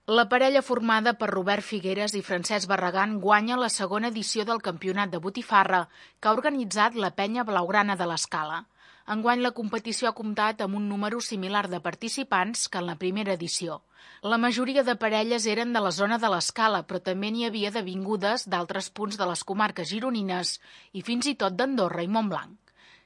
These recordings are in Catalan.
La parella formada per Robert Figueres i Francesc Barragán guanya la segona edició del Campionat de Botifarra que ha organitzat la Penya Blaugrana de l'Escala. Enguany la competició ha comptat amb un número similar de participants que en la primera edició. La majoria de parelles eren de la zona de l'Escala, però també n'hi havia de vingudes d'altres punts de les comarques gironines i fins i tot d'Andorra i Montblanc.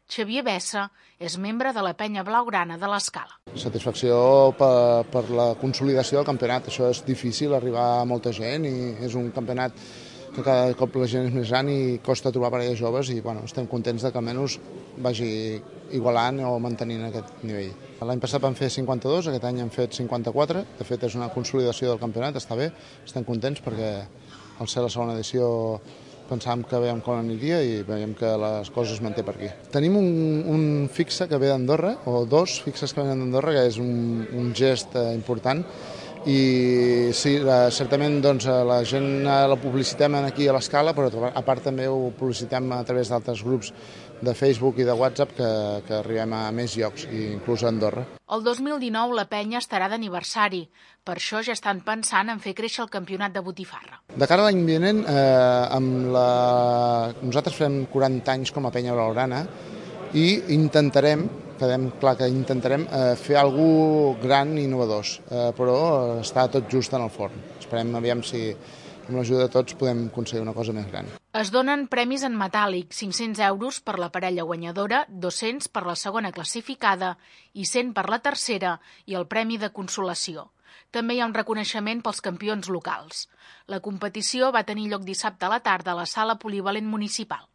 Xavier Bessa és membre de la Penya Blaugrana de l'Escala. Satisfacció per la consolidació del campionat. Això és difícil, arribar a molta gent i és un campionat que cada cop la gent és més gran i costa trobar parelles joves i estem contents que almenys vagi igualant o mantenint aquest nivell. L'any passat vam fer 52, aquest any hem fet 54. De fet, és una consolidació del campionat, està bé, estem contents perquè al ser la segona edició pensàvem que veiem com aniria i veiem que les coses es manté per aquí. Tenim un fixe que ve d'Andorra, o dos fixes que venen d'Andorra, que és un gest important. I sí, certament la gent la publicitem aquí a l'Escala, però a part també ho publicitem a través d'altres grups de Facebook i de WhatsApp que arribem a més llocs, inclús a Andorra. El 2019 la penya estarà d'aniversari. Per això ja estan pensant en fer créixer el campionat de Botifarra. De cara a l'any vinent, nosaltres fem 40 anys com a Penya Blaugrana i intentarem fer alguna cosa gran i innovadors, però està tot just en el forn. Esperem aviam si amb l'ajuda de tots podem aconseguir una cosa més gran. Es donen premis en metàl·lic, 500 euros per la parella guanyadora, 200 per la segona classificada i 100 per la tercera i el premi de consolació. També hi ha un reconeixement pels campions locals. La competició va tenir lloc dissabte a la tarda a la sala polivalent municipal.